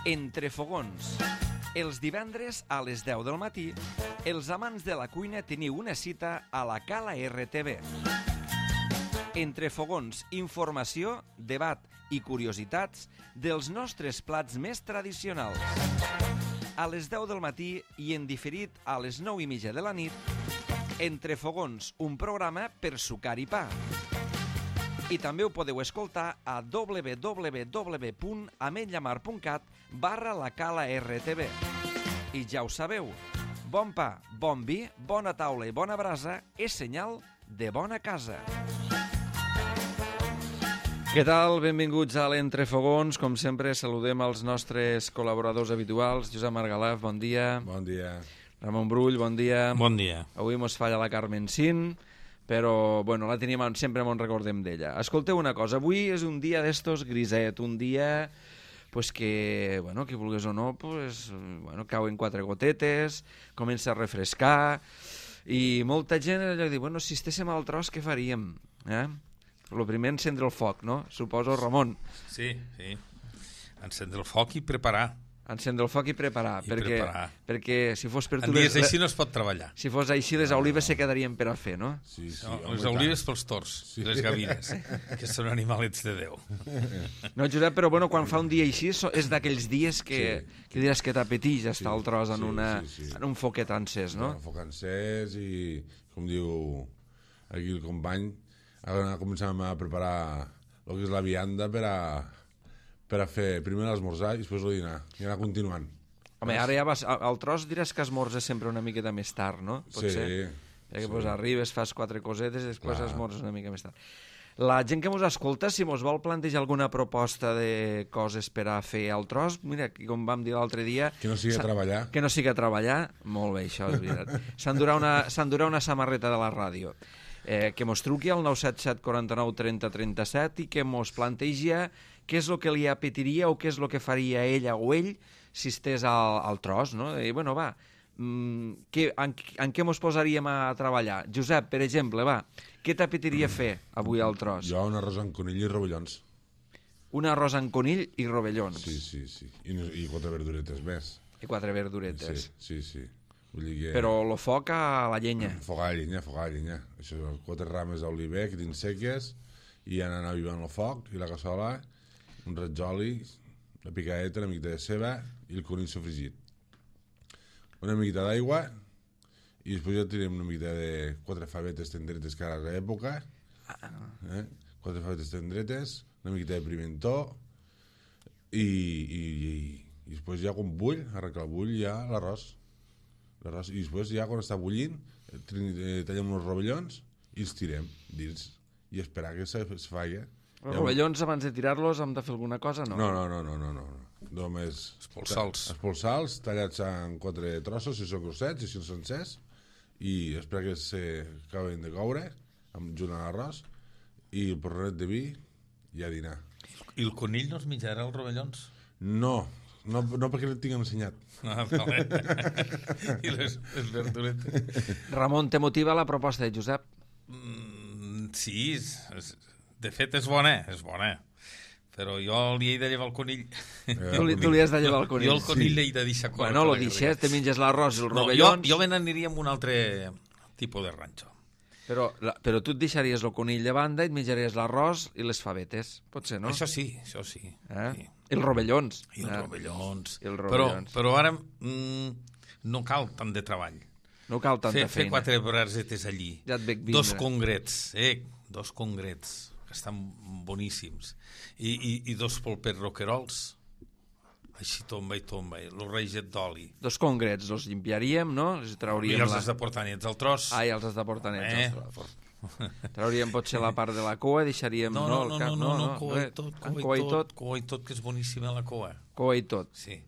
Entre fogons. Els divendres a les 10 del matí, els amants de la cuina teniu una cita a la Cala RTV. Entre fogons, informació, debat i curiositats dels nostres plats més tradicionals. A les 10 del matí i en diferit a les 9:30 de la nit, Entre fogons, un programa per sucar i pa. I també ho podeu escoltar a www.ametlllamar.cat/la Cala RTV. I ja ho sabeu, bon pa, bon vi, bona taula i bona brasa és senyal de bona casa. Què tal? Benvinguts a l'Entrefogons. Com sempre, saludem els nostres col·laboradors habituals. Josep Margalaf, bon dia. Bon dia. Ramon Brull, bon dia. Bon dia. Avui mos falla la Carmen Sin, però bueno, la tenim, sempre mos recordem d'ella. Escolteu una cosa, avui és un dia d'estos griset, un dia pues que, bueno, que vulguis o no, pues, bueno, cauen 4 gotetes, comença a refrescar, i molta gent allò diu, bueno, si estéssim al tros, què faríem? Lo primer, encendre el foc, no? Suposo, Ramon. Sí. Encendre el foc i preparar. Encendre el foc i preparar. Perquè si fos per tu... En dies així no es pot treballar. Si fos així, les olives se quedarien per a fer, no? Sí, Les olives pels tors i les gavines, que són animalets de Déu. No, Josep, però bueno, quan fa un dia així és d'aquells dies que diràs que t'apeteix estar al tros en un foquet encès, no? Un foc encès i, com diu aquí el company, ara començàvem a preparar el que és la vianda per a fer primer l'esmorzar i després el dinar, i anar continuant. Home, ara ja vas... Al tros diràs que esmorzes sempre una miqueta més tard, no? Potser. Perquè pues, arribes, fas 4 cosetes i després esmorzes una mica més tard. La gent que mos escolta, si mos vol plantejar alguna proposta de coses per a fer al tros, mira, com vam dir l'altre dia... Que no sigui a treballar. Que no sigui a treballar, molt bé, això és veritat. S'endurà una samarreta de la ràdio. Que mos truqui al 977 49 30 37 i que mos planteja què és el que li apetiria o què és el que faria ella o ell si estés al tros, no? I, bueno, va, en què mos posaríem a treballar? Josep, per exemple, va, què t'apetiria fer avui al tros? Jo un arròs amb conill i rovellons. Un arròs amb conill i rovellons. Sí. I 4 verduretes més. I 4 verduretes. Sí. Vull dir que... Però el foc a la llenya. Foc a la llenya. Això, 4 rames d'oliver que tens seques i anar avivant el foc i la cassola, un raig d'oli, la picadeta, una miqueta de ceba i el conill sofregit. Una miqueta d'aigua i després ja tirem una miqueta de 4 favetes tendretes que ara és l'època. 4 favetes tendretes, una miqueta de pimentó i després ja quan bull, arrenca el bull ja l'arròs. I després ja quan està bullint tallem uns rovellons i els tirem dins i esperar que es faci. Els rovellons abans de tirar-los hem de fer alguna cosa, no? No. Només espolsar-los, tallats en 4 trossos, si són grossets i si són sencers, i esperar que s'acaben de coure junt a l'arròs i el porronet de vi i a dinar. I el conill no es menjarà els rovellons? No perquè no et tinc ensenyat. Vale. I les verduretes? Ramon, te motiva la proposta de Josep? Sí, de fet és bona. Però jo li he de llevar el conill. Tu li has de llevar el conill. Jo el conill l'he de deixar córrer. Bueno, lo deixes, te menges l'arròs i els rovellons... Jo me n'aniria amb un altre tipus de ranxo. Però tu et deixaries el conill de banda i et menjaries l'arròs i les favetes. Pot ser, no? Això sí. Sí. I els rovellons. I els rovellons. Però ara no cal tant de treball. No cal tanta feina. Fer 4 brasetes allí. Ja et veig vindre. 2 congrets, que estan boníssims. I 2 polpets roquerols. Així tomba, el reiget d'oli. 2 congrets, els limpiaríem, no? I els has de portar nets al tros. I els has de portar nets al tros. Trauríem potser la part de la cua, deixaríem... No, cua i tot, que és boníssima la cua. Cua i tot. Sí.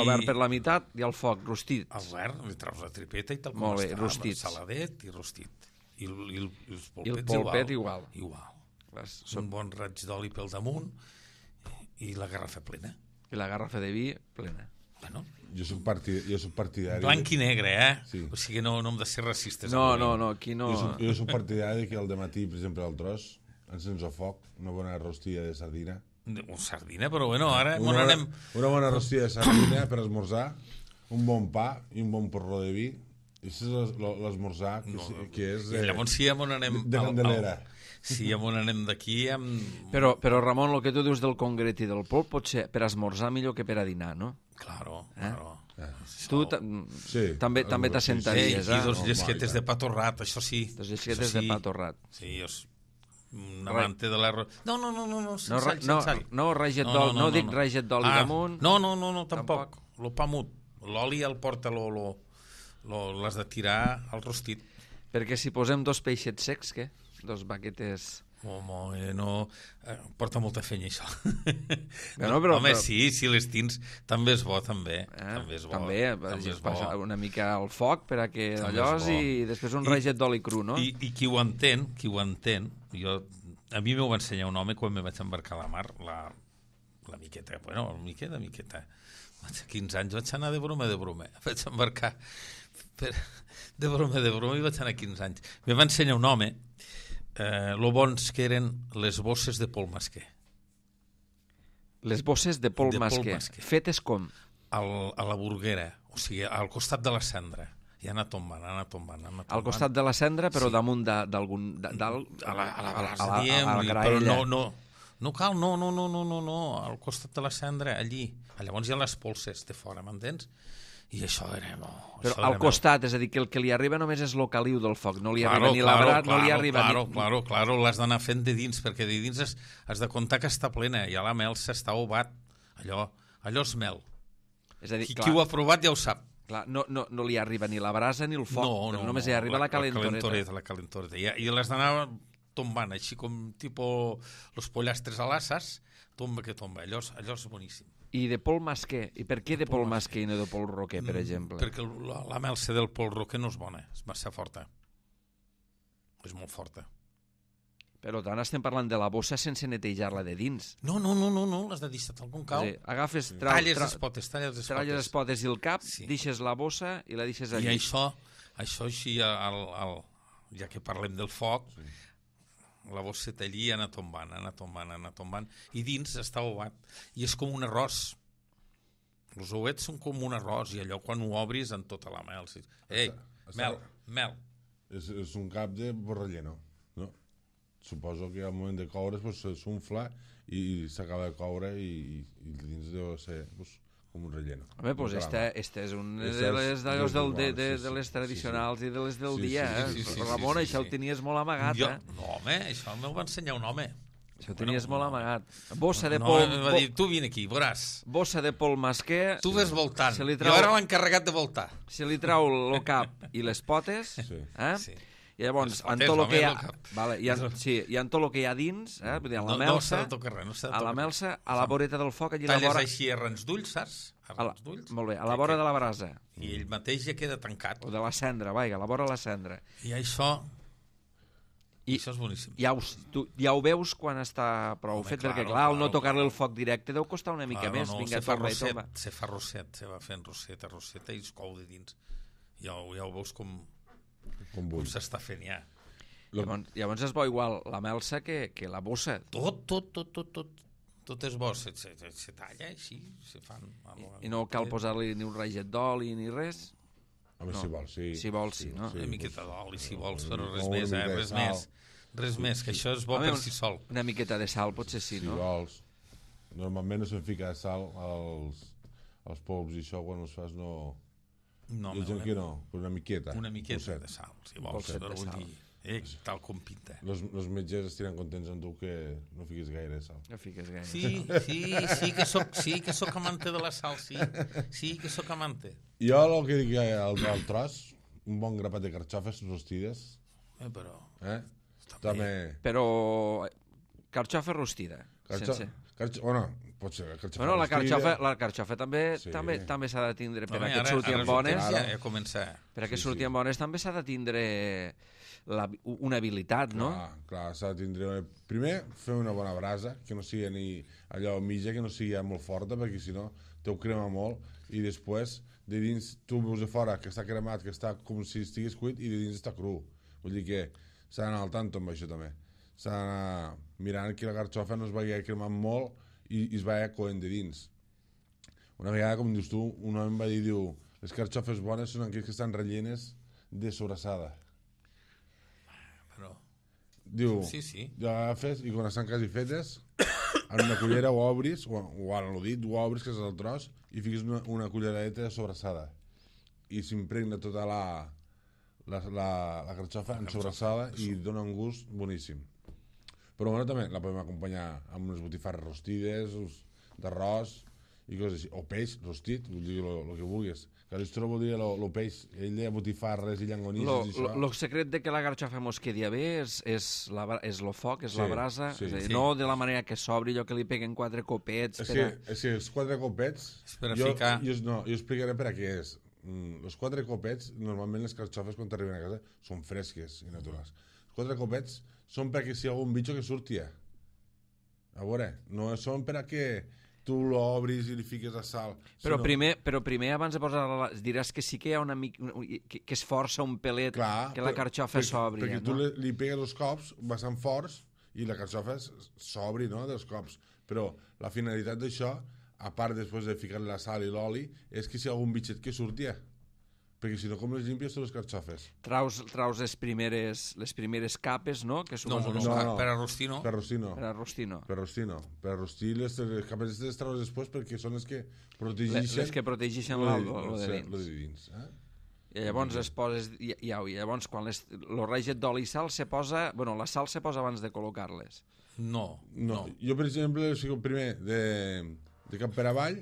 Obert per la meitat i al foc, rostit. Obert, li treus la tripeta i tal com està. Rostit. Saladet i rostit. I els polpets igual. Un bon raig d'oli pel damunt i la garrafa plena. I la garrafa de vi plena. Bueno, jo soc partidari... Blanc i negre, Sí. O sigui, no hem de ser racistes. No, aquí no... Jo soc partidari que al dematí, per exemple, al tros, encens el foc, una bona rostilla de sardina, Sardina, però bueno, ara Una anem... bona rostia de sardina per esmorzar, un bon pa i un bon porró de vi. I això és l'esmorzar, que és I llavors sí, on anem... de Candelera. Sí, on anem d'aquí... Però, Ramon, el que tu dius del congret i del polp pot ser per esmorzar millor que per a dinar, no? Claro, claro. Tu Sí, també t'assentaries, I dos llesquetes de pa torrat, això sí. Dos llesquetes de pa torrat. Sí, un amante de l'arròs... No, No, raget d'oli, no dic raget d'oli damunt. No, tampoc. Lo pa mut. L'oli el porta, l'has de tirar al rostit. Perquè si posem dos peixets secs, què? Dos baquetes... No, porta molta feina, això. Home, sí, les tins també és bo, també. També és bo. També una mica al foc per a que allòs i després un raget d'oli cru, no? I qui ho entén, a mi m'ho va ensenyar un home quan me vaig embarcar a la mar, la miqueta, miqueta. 15 anys vaig anar de broma. Vaig embarcar de broma i vaig anar 15 anys. Me va ensenyar un home lo bons que eren les bosses de Pol Masquer. Les bosses de Pol Masquer. Fetes com? A la Burguera, o sigui, al costat de la cendra. I anar tombant. Al costat de la cendra, però damunt d'algun... A la graella. Però no cal, no, al costat de la cendra, allí. Llavors hi ha les polses de fora, m'entens? I això era... Però al costat, és a dir, que el que li arriba només és el caliu del foc, no li arriba ni l'abrat, no li arriba ni... Claro, l'has d'anar fent de dins, perquè de dins has de comptar que està plena, i a la mel s'està obat. Allò és mel. És a dir, qui ho ha provat ja ho sap. Clar, no li arriba ni la brasa ni el foc, només hi arriba la calentoreta. La calentoreta. I l'has d'anar tombant, així com tipus los pollastres a l'asses, tomba que tomba. Allò és boníssim. I de Pol Masquer? I per què de Pol Masquer i no de Pol Roquer, per exemple? Perquè la melsa del Pol Roquer no és bona, és massa forta. És molt forta. Per tant, estem parlant de la bossa sense netejar-la de dins. No, l'has de deixar tal com cal. Sí, agafes... Talles les potes. Talles les potes i el cap, deixes la bossa i la deixes allí. I això així, ja que parlem del foc, la bosseta allí anar tombant, i dins està obat, i és com un arròs. Els ouets són com un arròs, i allò quan ho obris en tota la mel. Ei, mel. És un cap de borrelleno, no? Suposo que al moment de coure s'unfla i s'acaba de coure i dins deu ser com un relleno. Home, doncs este és un de les tradicionals i de les del dia, eh? Ramon, això ho tenies molt amagat, eh? No, home, això m'ho va ensenyar un home. Això ho tenies molt amagat. Bossa de Pol... No, va dir, tu vine aquí, veuràs. Bossa de Pol Masquer... Tu ves voltant, jo era l'encarregat de voltar. Se li trau el cap i les potes, eh? Sí. I llavors, en tot el que hi ha... Vale, i en tot el que hi ha dins, a la melsa... No s'ha de tocar res, a la melsa, a la voreta del foc, allí a la vora... Talles així arrans d'ulls, saps? Molt bé, a la vora de la brasa. I ell mateix ja queda tancat. O de la cendra, vaja, a la vora de la cendra. I això... Això és boníssim. Ja ho veus quan està prou fet, perquè clar, al no tocar-li el foc directe deu costar una mica més. Se fa rosset, se va fent roseta i es cou de dins. Ja ho veus com s'està fent ja. Llavors és bo igual la melsa que la bossa. Tot és bo, se talla així, se fan... I no cal posar-li ni un raget d'oli ni res? Home, si vols, sí. Si vols, sí, no? Una miqueta d'oli, si vols, però res més, Res més, que això és bo per si sol. Una miqueta de sal potser sí, no? Si vols. Normalment no se'n fica sal als polps i això, quan els fas no... No, i el que no, una miqueta. Una miqueta de sal, si vols, però vull dir, tal com pinta. Els metges estiran contents amb tu que no fiquis gaire sal. No fiquis gaire sal. Sí que soc amante de la sal, sí que soc amante. Jo el que dic al tros, un bon grapat de carxofes rostides. Però... També... Però carxofa rostida. Bueno, pot ser bueno, la carxofa també s'ha de tindre per a que surtin bones. Per a que surtin bones també s'ha de tindre una habilitat, no? Clar, s'ha de tindre... Primer, fer una bona brasa, que no sigui ni allò mitja, que no sigui molt forta, perquè si no t'ho crema molt, i després de dins tu veus de fora que està cremat, que està com si estigués cuit, i de dins està cru. Vull dir que s'ha d'anar al tanto amb això també. S'ha d'anar mirant que la carxofa no es vagi cremant molt i es va coent de dins. Una vegada, com dius tu, un home em va dir, diu, les carxofes bones són aquelles que estan rellenes de sobrassada. Però... Diu, Sí, sí. l'agafes i quan estan quasi fetes, en una cullera ho obris, o en el dit ho obris, que és el tros, i fiques una culleradeta de sobrassada. I s'impregna tota la carxofa en sobrassada i dona un gust boníssim. Però bueno, també la podem acompanyar amb unes botifarres rostides, d'arròs i coses així. O peix rostit, vull dir, el que vulguis. Calistro vol dir el peix, ell deia botifarres i llangonisses i això. El secret de que la garxofa mos quedi bé és el foc, és la brasa, sí, és a dir, sí. no de la manera que s'obri, allò que li peguen 4 copets. És que els 4 copets... És per a ficar... Jo explicaré per a què és. Els 4 copets, normalment les carxofes quan t'arriben a casa són fresques i naturals. Els 4 copets són perquè si hi ha algun bitxo que surti. A veure, no són per a que tu l'obris i li fiques la sal. Però primer abans de posar-la, diràs que sí que hi ha una mica... que es força un pelet, clar, que la carxofa s'obri. Perquè tu li pegues els cops bastant forts i la carxofa s'obri, no?, dels cops. Però la finalitat d'això, a part després de ficar la sal i l'oli, és que si hi ha algun bitxet que surti. Perquè si no, com les limpies tu les carxofes? Traus les primeres capes, no? Que No, no. per a rostir no. Per rostir no. Per a rostir no. Per rostir no. Per a rostir les capes les traus després perquè són les que protegeixen... Les que protegeixen lo de dins. Lo de dins. I llavors es poses... I llavors quan el reget d'oli i sal se posa... Bueno, la sal se posa abans de col·locar-les. No. Jo, per exemple, fico primer de cap per avall,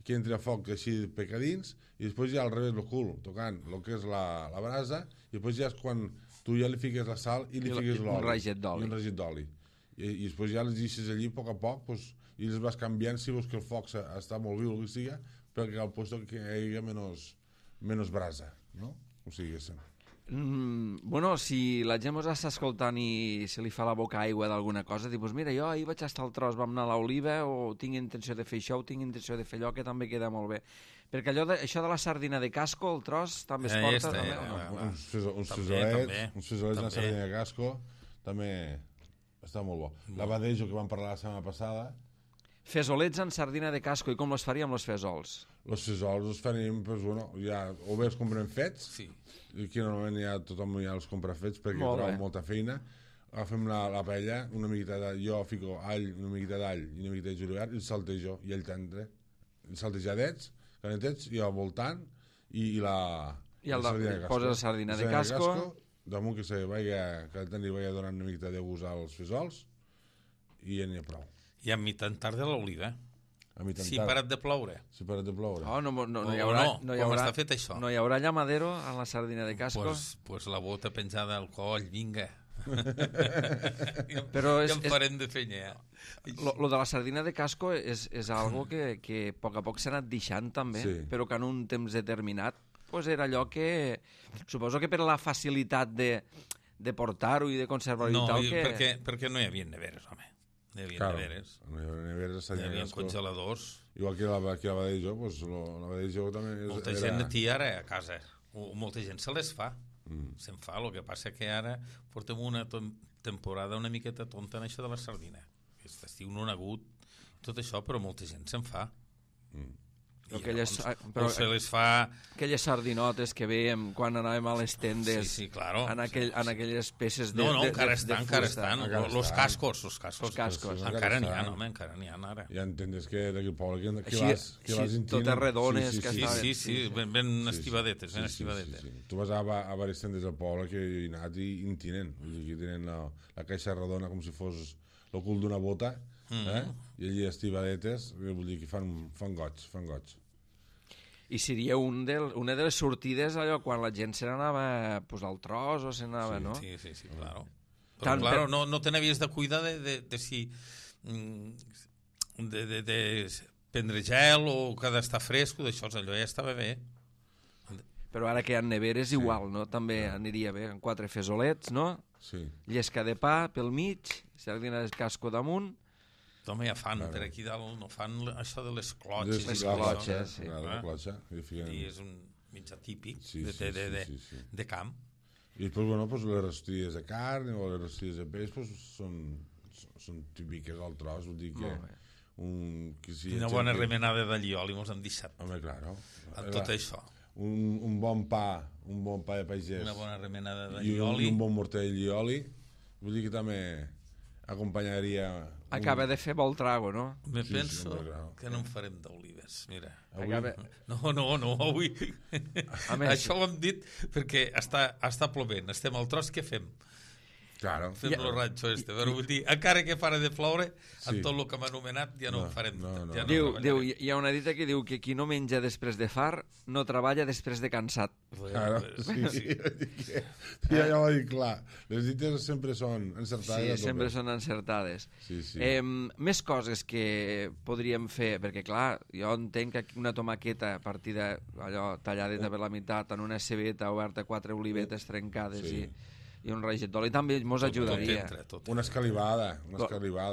que entri a foc així pecadins, i després ja al revés el cul, tocant el que és la brasa, i després ja és quan tu ja li fiques la sal i li fiques l'oli. Un reget d'oli. I un reget d'oli. I després ja les deixes allí a poc a poc, pues, i les vas canviant si veus que el foc està molt viu o el que siga, perquè al lloc que hi hagi menys brasa, no? O sigui, Bueno, si la gent ens està escoltant i se li fa la boca aigua d'alguna cosa, diu, pues mira, jo ahir vaig estar al tros, vam anar a l'Oliva, o tinc intenció de fer això, o tinc intenció de fer allò, que també queda molt bé. Perquè això de la sardina de casco, el tros, també es porta, també, o no? Uns fesolets de sardina de casco, també està molt bo. L'abadejo que vam parlar la setmana passada. Fesolets en sardina de casco, i com els faríem els fesols? Els fesols els faríem, pues, bueno, ja, o bé els comprem fets, Sí. i aquí normalment tothom ja els compra fets perquè troba molta feina. Agafem la paella, una miqueta jo fico una miqueta d'all i una miqueta de julivert i el saltejo, i el tendre, saltejadets, calentets, i al voltant, i la sardina de casco. Poses la sardina de casco, damunt que el tendre vagi donant una miqueta de gust als fesols, i ja n'hi ha prou. I a mitjan tarda l'oliva. Si ha parat de ploure. Si parat de ploure. no hi haurà... Com està fet això? No hi haurà llamadero a la sardina de casco? Pues la bota penjada al coll, vinga. Però ja em farem de fenya. Lo de la sardina de casco és algo que a poc a poc s'ha anat deixant també, però que en un temps determinat pues era allò que... Suposo que per la facilitat de portar-ho i de conservar-ho i tal que... perquè no hi havia neveres, home. Hi havia neveres. Hi havia congeladors. Igual que l'abadejo, pues l'abadejo també... Molta gent en té ara a casa. Molta gent se les fa. Se'n fa, el que passa que ara portem una temporada una miqueta tonta en això de la sardina. Aquest estiu no ha hagut tot això, però molta gent se'n fa. Però se les fa... Aquelles sardinotes que veiem quan anàvem a les tendes, sí, claro, en aquelles peces de No, encara estan. Los cascos. Encara n'hi ha, home, encara n'hi ha ara. Ja entens que d'aquí el poble que vas intint... Totes redones que estaven... Sí, ben estivadetes, ben estivadetes. Tu vas a diverses tendes del poble que hi he anat i intinen. Aquí tenen la caixa redona com si fos el cul d'una bota, i allí estivadetes, vull dir que fan goig. I seria una de les sortides allò quan la gent se n'anava pues, al tros o se n'anava, no? Sí, claro. Però, claro, no te n'havies de cuidar de si... de prendre gel o que d'estar fresco, d'això, allò ja estava bé. Però ara que hi ha neveres, igual, no? També aniria bé, amb 4 fesolets, no? Sí. Llesca de pa pel mig, sardina de casco damunt. Home, ja fan, per aquí dalt no fan això de les clotxes. Les clotxes, sí. La clotxa. I és un mitjà típic de camp. I després, bueno, pues les rostilles de carn o les rostilles de peix pues, són típiques al tros, vull dir que Una bona remenada d'allioli mos han deixat. Home, claro. Amb tot això. Un bon pa de pagès. Una bona remenada I d'allioli. un bon morter d'allioli. Vull dir que també acompanyaria... Acaba de fer vol trago, no? Me Sí, penso home, clar. que no en farem d'olives, mira. Avui, No, avui. A més- Això ho hem dit perquè està plovent. Estem al tros, què fem? claro. Fem el ranxo este. Però vull dir, encara que para de ploure, Sí. amb tot el que m'ha anomenat, ja no en farem. no. Ja Diu, treballarem. hi ha una dita que diu que qui no menja després de far no treballa després de cansat. Claro, sí. Ja ho he dit clar. Les dites sempre són encertades. Sí, a tope. sempre són encertades. Sí, sí. Més coses que podríem fer, perquè clar, jo entenc que una tomaqueta partida allò talladeta per la meitat en una cebeta oberta, 4 olivetes trencades Sí. i un raget d'oli també mos ajudaria. Tot. Una escalivada,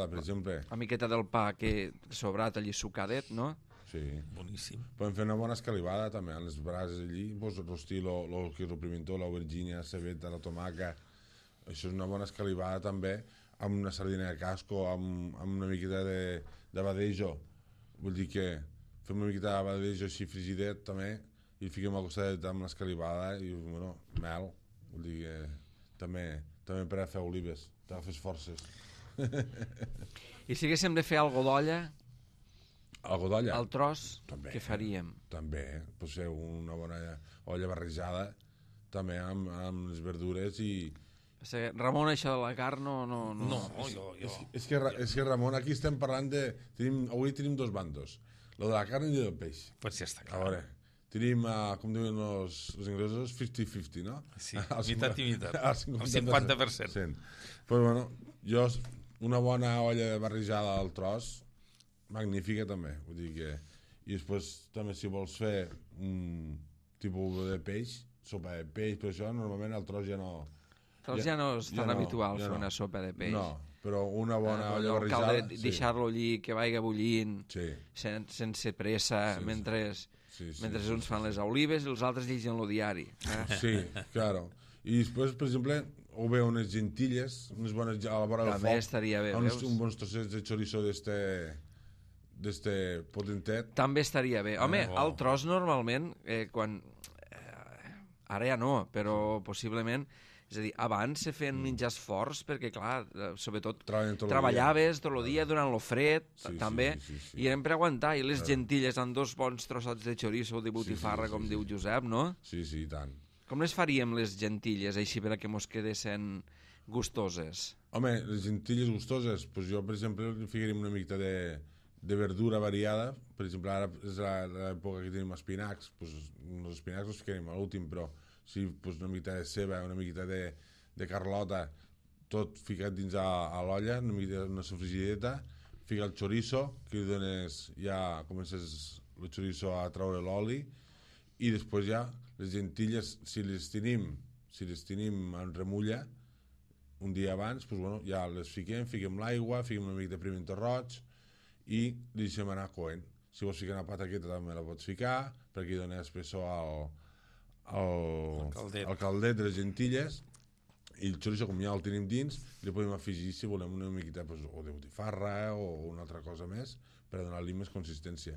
per exemple. Una miqueta del pa que sobrat allí sucadet, no? Sí. Boníssim. Podem fer una bona escalivada també, a les brases allí, pues, rostir lo que és el pimentó, l'aubergina, la cebeta, la tomaca. Això és una bona escalivada també, amb una sardina de casco, amb una miqueta de badejo. Vull dir que fem una miqueta de badejo així frigidet també, i el fiquem al costat amb l'escalivada i, bueno, mel. Vull dir que també per a fer olives, t'agafes forces. I si haguéssim de fer algo d'olla, Algo d'olla? al tros, També. què faríem? També, pot ser una bona olla barrejada, també amb les verdures i... Ramon, això de la carn no... No, jo. És que Ramon, aquí estem parlant de... Avui tenim dos bandos, lo de la carn i del peix. Pues ja està A clar. veure, tenim, com diuen els inglesos, 50-50, no? Sí, mitat i mitat. El El 50%. Pues bueno, jo, una bona olla barrejada al tros, magnífica també, vull dir que... I després també si vols fer un tipus de peix, sopa de peix, però això normalment al tros ja no... Ja no és tan habitual ja fer no. una sopa de peix. No, però una bona olla Allò, barrejada... cal deixar-lo allí, que vagi bullint, Sí, sense pressa, Sí, mentre sí, uns fan les olives i els altres llegen el diari. sí, claro. I després, per exemple, o bé unes gentilles, unes bones a la vora del També foc, estaria bé, uns, veus? un bons trossets de chorizo d'este potentet. També estaria bé. Home, bo. el tros normalment, quan... ara ja no, però possiblement... És a dir, abans se feien menjars forts perquè, clar, sobretot Treballen tot el treballaves tot el dia durant el fred, Sí, també, sí. i eren per aguantar. I les gentilles amb 2 bons trossats de chorizo o de botifarra, com diu Josep, no? Sí, i tant. Com les faríem, les gentilles, així per a que mos quedessin gustoses? Home, les gentilles gustoses, pues jo, per exemple, li ficaríem una mica de verdura variada. Per exemple, ara és l'època que tenim espinacs, pues, els espinacs els ficaríem a l'últim, però sí, pues, una mica de ceba, una mica de carlota, tot ficat dins a l'olla, una mica una sofrigideta, fica el chorizo, que li dones, ja comences el chorizo a treure l'oli, i després ja les gentilles, si les tenim en remulla, un dia abans, pues, bueno, ja les fiquem l'aigua, fiquem una mica de pimiento roig i li deixem anar coent. Si vols ficar una pataqueta també la pots ficar, perquè hi dona espessor al caldet de les gentilles, i el chorizo, com ja el tenim dins, li podem afegir, si volem, una miqueta pues, o de botifarra o una altra cosa més per donar-li més consistència.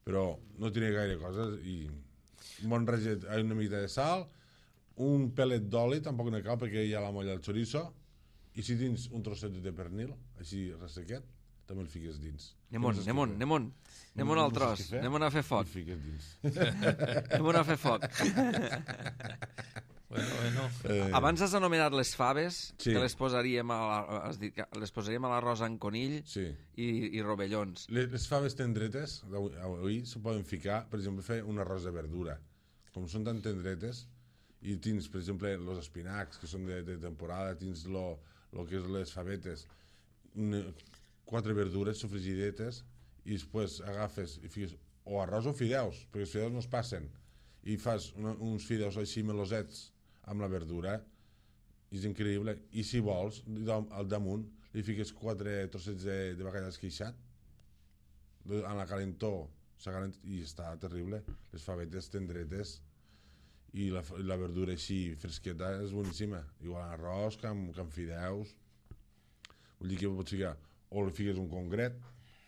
Però no tiene gaire coses i un bon raget, una miqueta de sal, un pelet d'oli, tampoc no cal perquè hi ha la molla del chorizo, i si tens un trosset de pernil, així ressequet, també el fiques dins. Anem al tros, anem a fer foc. El fiques dins. Anem a fer foc. Bueno. Abans has anomenat les faves, Sí. que les posaríem has dit que les posaríem a l'arròs amb conill Sí. i rovellons. Les faves tendretes, avui se poden ficar, per exemple, fer un arròs de verdura. Com són tan tendretes, i tens, per exemple, els espinacs, que són de temporada, tens lo que és les favetes, 4 verdures sofrigidetes, i després agafes i fiques o arròs o fideus, perquè els fideus no es passen, i fas uns fideus així melosets amb la verdura, és increïble. I si vols, al damunt li fiques 4 trossets de bacallà esqueixat, en la calentor, i està terrible. Les favetes tendretes i la verdura així fresqueta és boníssima. Igual arròs que amb fideus. Vull dir que pots ficar, o li fiques un congret,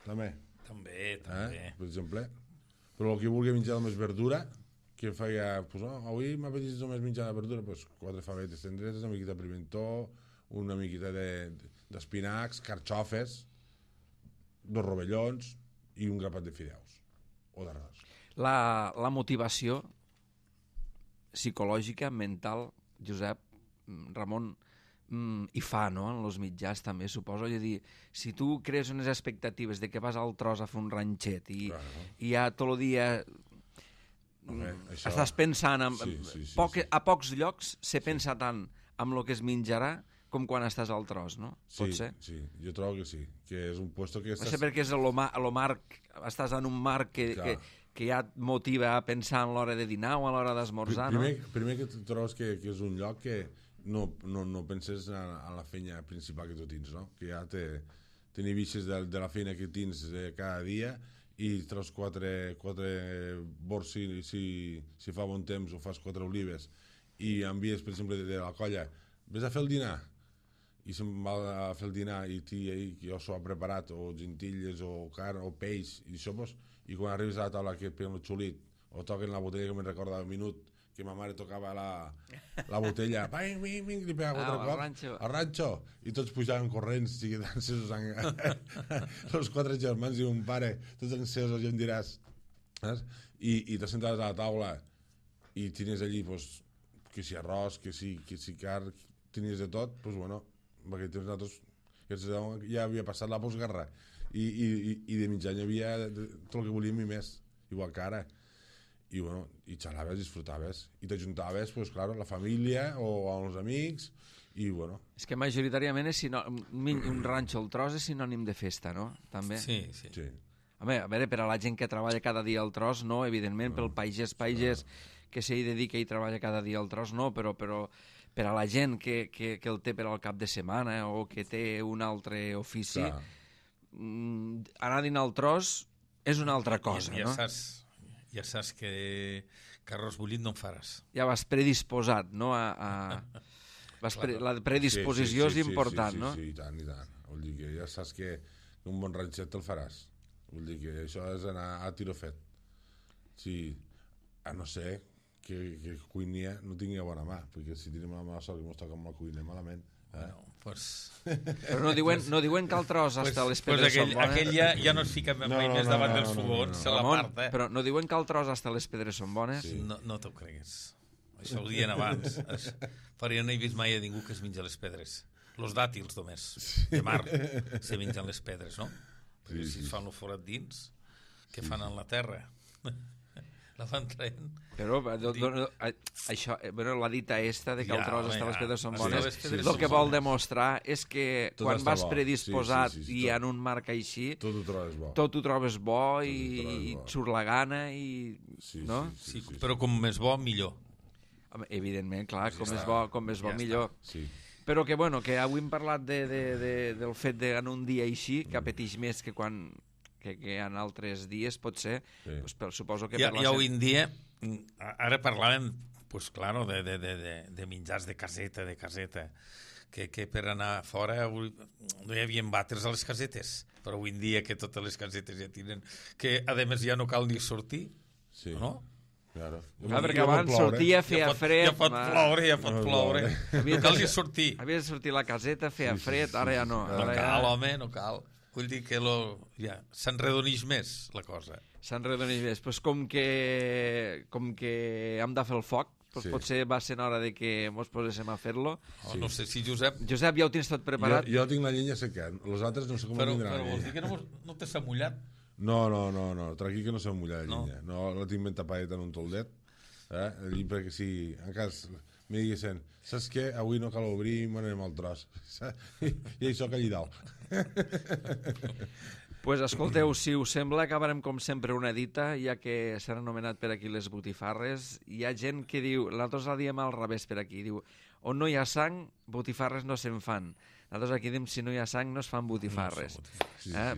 també, També. Per exemple. Però el que vulgui menjar més verdura, que feia, pues, avui m'ha petit només menjar de verdura, pues, 4 favetes tendretes, una miqueta de pimentó, una miqueta d'espinacs, carxofes, 2 rovellons i un grapat de fideus o d'arròs. La motivació psicològica, mental, Josep, Ramon, i fa, no?, en els mitjans també, suposo. És a dir, si tu crees unes expectatives de que vas al tros a fer un ranxet i ja tot el dia estàs pensant a pocs llocs se pensa tant amb el que es menjarà com quan estàs al tros, no? Pot ser? Sí, jo trobo que sí, que és un puesto que estàs... perquè és el marc, estàs en un marc que ja et motiva a pensar en l'hora de dinar o a l'hora d'esmorzar, no? Primer que trobes que és un lloc que no penses en la feina principal que tu tens, no? Que ja tenir vistes de la feina que tens cada dia i treus 4 bords si fa bon temps o fas 4 olives i envies, per exemple, de la colla, vés a fer el dinar, i se'n va a fer el dinar i jo s'ho ha preparat, o gentilles o carn o peix i sopes, i quan arribes a la taula que et peguen el xulit o toquen la botella, que me'n recorda un minut que ma mare tocava la botella, li pegava 4 cops al ranxo, i tots pujaven corrents, encesos, els 4 germans i un pare, tots encesos, ja em diràs, i te sentaves a la taula i tenies allí, que si arròs, que si carn, tenies de tot, doncs bueno, en aquell temps nosaltres ja havia passat la postguerra i de mitjà hi havia tot el que volíem i més, igual que ara. I bueno, i xalaves, disfrutaves i t'ajuntaves, pues clar, la família o amb els amics i bueno. És que majoritàriament un ranxo al tros és sinònim de festa, no? També. Sí. Home, a veure, per a la gent que treballa cada dia al tros, no, evidentment, pel pagès que s'hi dedica i treballa cada dia al tros, no, però per a la gent que el té per al cap de setmana o que té un altre ofici, anar a dinar al tros és una altra cosa, no? Ja saps que arròs bullit no en faràs. Ja vas predisposat, no? La predisposició és important, no? Sí, i tant. Vull dir que ja saps que un bon ranxet te'l faràs. Vull dir que això és anar a tiro fet. Sí, a no ser que cuiner no tingui bona mà, perquè si tenim la mala sort que ens toca amb la cuiner malament... Però no diuen que el tros hasta les pedres són bones. Aquell ja no es fica mai més davant dels fogons, se l'aparta. Però no diuen que el tros hasta les pedres són bones? No t'ho cregues. Això ho dien abans. Però jo no he vist mai a ningú que es menja les pedres. Los dàtils només, de mar, se mengen les pedres, no? Perquè si es fan el forat dins, què fan en la terra? La van traient. Però això, la dita esta de que el tros hasta les pedres són bones, el que vol demostrar és que quan vas predisposat i en un marc així, tot ho trobes bo i et surt la gana, no? Sí, però com més bo, millor. Evidentment, clar, com més bo, millor. Però que, bueno, que avui hem parlat del fet en un dia així, que apeteix més que quan... que en altres dies, pot ser, suposo que... Ja avui en dia, ara parlàvem, pues claro, de menjars de caseta, que per anar fora no hi havia vàters a les casetes, però avui en dia que totes les casetes ja tenen, que a més ja no cal ni sortir, no? Claro. Perquè abans sortia, feia fred... Ja pot ploure. Cal ni sortir. Havia de sortir la caseta, feia fred, ara ja no. No cal, home, no cal. Vull dir que s'enredonix més la cosa. S'enredonix més. Pues com que hem de fer el foc, potser va ser hora de que ens poséssim a fer-lo. No sé si Josep... Josep, ja ho tens tot preparat? Jo tinc la llenya seca. Els altres no sé com vindran la llenya. Però vols dir que no t'has mullat? No, tranquil que no s'ha mullat la llenya. No la tinc ben tapadeta en un toldet. Allí perquè si en cas me diguessin, saps què? Avui no cal obrir i m'anem al tros. I això que allí dalt. Pues escolteu, si us sembla, acabarem com sempre una dita, ja que s'han anomenat per aquí les botifarres. Hi ha gent que diu, nosaltres la diem al revés per aquí, diu, on no hi ha sang, botifarres no se'n fan. Nosaltres aquí diem, si no hi ha sang, no es fan botifarres.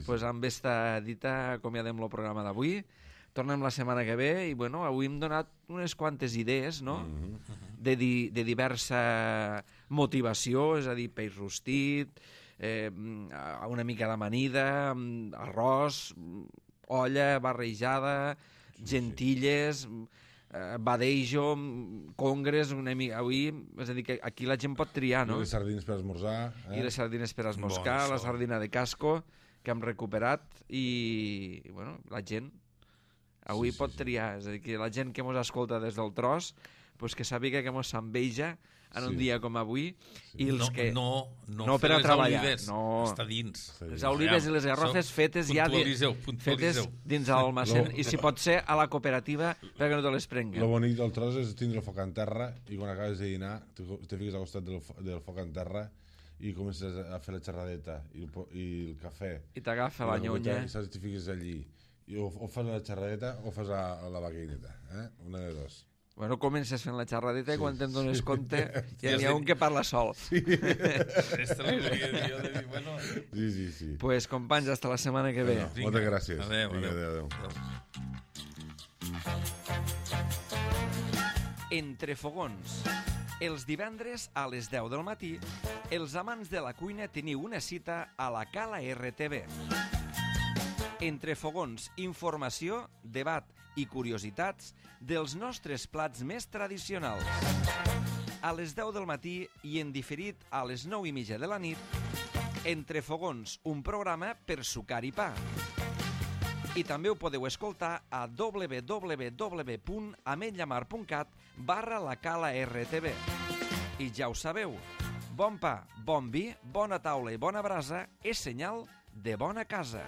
Pues amb esta dita acomiadem el programa d'avui. Tornem la setmana que ve i, bueno, avui hem donat unes quantes idees, no?, de diversa motivació, és a dir, peix rostit, una mica d'amanida, arròs, olla barrejada, gentilles, badejo, congres, avui, és a dir, que aquí la gent pot triar, no? I les sardines per esmorzar. I les sardines per esmoscar, la sardina de casco, que hem recuperat, i bueno, la gent avui pot triar, és a dir, que la gent que mos escolta des del tros, pues que sàpiga que mos s'enveja en un dia com avui, i els que... No per a treballar, està dins. Les olives i les garrofes fetes ja fetes dins l'almacén, i si pot ser a la cooperativa perquè no te les prenguen. Lo bonic del tros és tindre el foc en terra, i quan acabes de dinar te fiques al costat del foc en terra i comences a fer la xerradeta i el cafè. I t'agafa la nyonya. I saps, te fiques allí. I o fas la xerradeta o fas la vaquineta. Una de dos. Bueno, comences fent la xerradeta i quan te'n dones compte ja n'hi ha un que parla sol. Sí. Sí. Pues, companys, hasta la setmana que ve. Moltes gràcies. Adéu. Entre fogons. Els divendres a les 10 del matí, els amants de la cuina teniu una cita a la Cala RTV. Entre fogons, informació, debat i curiositats dels nostres plats més tradicionals. A les 10 del matí i en diferit a les 9:30 de la nit, Entre fogons, un programa per sucar i pa. I també ho podeu escoltar a www.ametlllamar.cat/la Cala RTV. I ja ho sabeu, bon pa, bon vi, bona taula i bona brasa és senyal de bona casa.